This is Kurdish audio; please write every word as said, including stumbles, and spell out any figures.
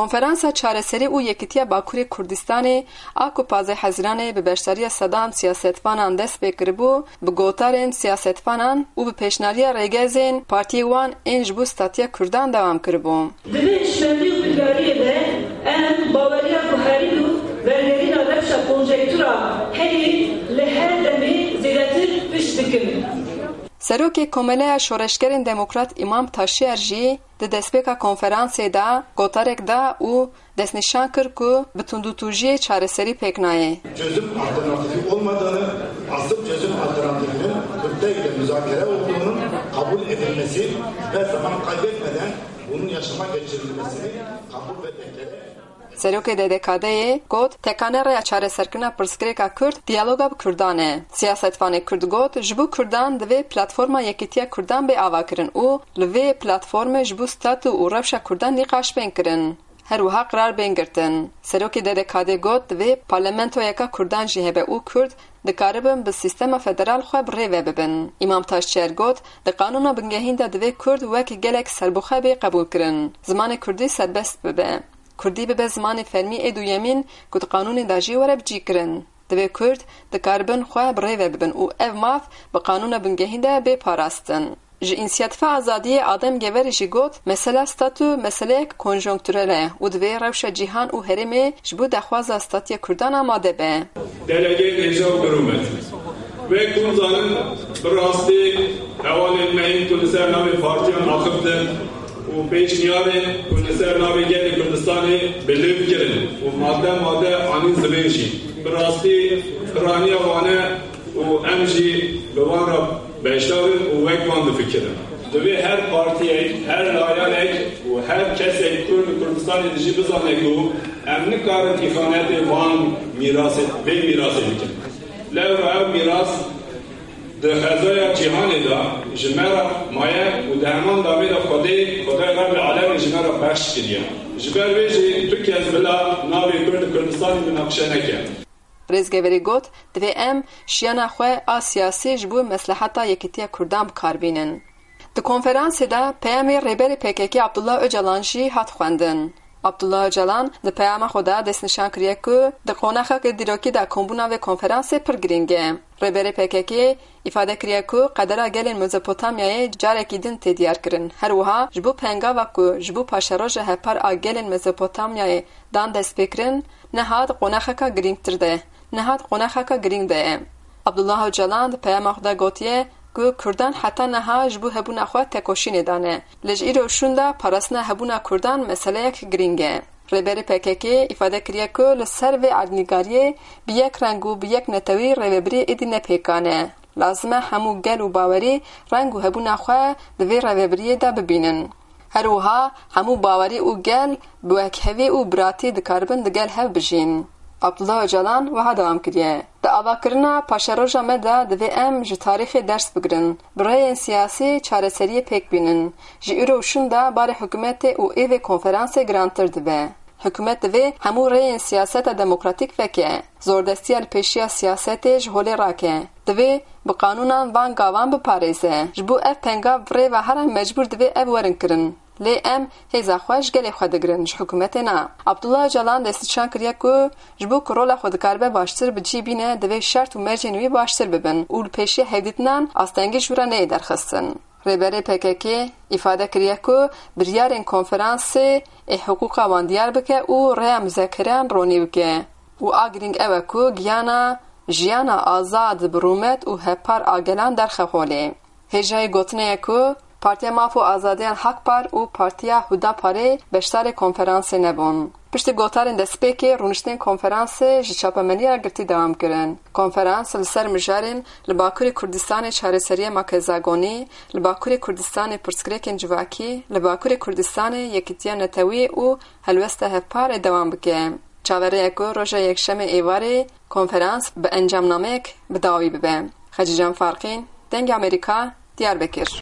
Konferansa Çareserî û Yekîtiya Bakurê Kurdistanê a ku pazdeh Hezîranê bi beşdariya sedan siyasetvanan dest pê kiribû, bi gotarên siyasetvanan û bi pêşnariya rêgezên partiyê wan ên ji bo statiya Kurdan dewam kiribû. Di vê hişmendî û biryariyê de em baweriya ku herî dûr vegerîna rewşa konjenktura herî li her demê zêdetir pişt dikin. Serokê Komeleya Şoreşgerên Demokrat Îmam Taşyer jî di destpêka konferansê de gotarek da û destnîşan kir ku bi tundûtûjiyê çareserî pêk nayê. Çözüm alternatifi olmadığını, asıl çözüm alternatifinin Kürtler ile müzakere olduğunun kabul edilmesi ve zaman kaybetmeden bunun yaşama geçirilmesini kabul ve bekleyerek Serokê D D K D'yê got, tekane rêya çareserkirina pirsgirêka Kurd diyaloga bi Kurdan e. Siyasetvanê Kurd got, ji bo Kurdan divê platforma Yekîtiya Kurdan bê avakirin û li vê platformê ji bo statû û rewşa Kurdan nîqaş bên kirin. Her wiha qirar bên girtin. Serokê D D K D got, divê parlamentoyeka Kurdan jî hebe û Kurd dikaribin bi sîstema federal xwe bi rê ve bibin. Îmam Taşçer got, di qanûna bingehîn de divê Kurd wek gelek serbixwe bê qebûlkirin. Zimanê Kurdî serbest bibe. Kurdî bibe zimanê fermî ê duyemîn ku di qanûnê de jî were bicîkirin. Divê Kurd dikaribin xwe bi rê ve bibin û ev maf bi qanûna bingehîn de bê parastin. Ji Însiyatifa Azadiyê Adem Geverî jî got, mesela statû meseleyek konjonkturel e û divê rewşa cîhan û herêmê ji bo daxwaza statiya Kurdan amade be. Delegê hêja û birûmet. Wek hûn zanin, bi rastî hevalên me hîn ku li ser navê partiyan axiftin û pêşniyarên ku li ser navê gelê Kurdistanê biliv kirin û madde madde anîn zimên jî. Bi rastî piraniya wan e û em jî bi wan re beşdar in û wek wan difikirin. Divê her partiyek, her layanek û her kesek Kurd û Kurdistanê dijî bizane ku em nikarin îxanetê van mîrasê, vê mîrasê bikin. Lewra ev mîras di xezaya cîhanê de ji me re maye û di heman demê de Xwedê, Xwedayê Rebbê Alemê ji me re bexş kiriye. Ji ber vê jî tu kes bila navê Kurd û Kurdistanê minaqişe neke. Rêzgeverî got, divê em şiyana xwe a siyasî ji bo mesleheta yekîtiya Kurdan bi kar bînin. Di konferansê de peyamê Rêberê P K K Abdullah Ocalan jî hat xwendin. Abdullah Ocalan di peyama xwe de destnîşan kiriye ku di qonaxeke dîrokî de kombûna vê konferansê pir girîng e. Rêberê P K K îfade kiriye ku qedera gelên Mezopotamyayê carekî din tê diyarkirin. Her wiha ji bo pengava ku ji bo paşeroja hevpar a gelên Mezopotamyayê dan destpêkirin, niha di qonaxeka girîngtir de, niha di qonaxeka girîng de ye. Abdullah Ocalan di peyama xwe de gotiye ku Kurdan heta niha ji bo hebûna xwe tekoşînê dane. Lê ji îro û şûnda parastina hebûna Kurdan meseleyek girîng e. Rêberê P K K îfade kiriye ku li ser vê erdnîgariyê bi yek reng û bi yek netewî rêvebiriyê êdî ne pêkan e. Lazim e hemû gel û bawerî reng û hebûna xwe di vê rêvebiriyê de bibînin. Her wiha hemû bawerî û gel bi wekhevî û biratî dikaribin digel hev bijîn. Abdullah Ocalan wiha dewam kiriye, di avakirina paşeroja me de divê em ji tarîxê ders bigirin, bi rêyên siyasî çareseriyê pêk bînin. Ji îro û şûnda barê hikûmetê û ê vê konferansê girantir dibe. Hikûmet divê hemû rêyên siyaseta demokratîk veke, zordestiya li pêşiya siyasetê ji holê rake. Divê bi qanûnan van gavan biparêze. Ji bo ev pengav bi rê ve herin mecbûr divê ev werin kirin. Lê em hêza xwe ji gelê xwe digirin, ji hikûmetê na. Abdullah Ocalan destnîşan kiriye ku ji bo ku rola xwe dikaribe baştir bi cî bîne, divê şert û mercên wî baştir bibin û li pêşiya hevdîtinan astengî ji wî re neyê derxistin. Rêberê P K K îfade kiriye ku biryarên konferansê ê hiqûqa wan diyar bike û rêya muzekereyan ronî bike û a girîng ew e ku giyana jiyana azad bi rûmet û hevpar a gelan derxe holê. Hêjayî gotinê ye ku Partiya Maf û Azadiyan Hakpar û Partiya Hudaparê beşdarê konferansê nebûn. Piştî gotarên destpêkê, rûniştên konferansê ji çapemeniya girtî dewam kirin. Konferans li ser mijarên li Bakurê Kurdistanê çareseriya makezagonî, li Bakurê Kurdistanê pirsgirêkên civakî, li Bakurê Kurdistanê yekîtiya netewî û helwesta hevpar ê dewam bike. Çaverê ye ku roja Yekşemê êvarê konferans bi encamnameyek bi dawî bibe. Xecîcan Farqîn, Dengê Amerîka, Diyarbekir.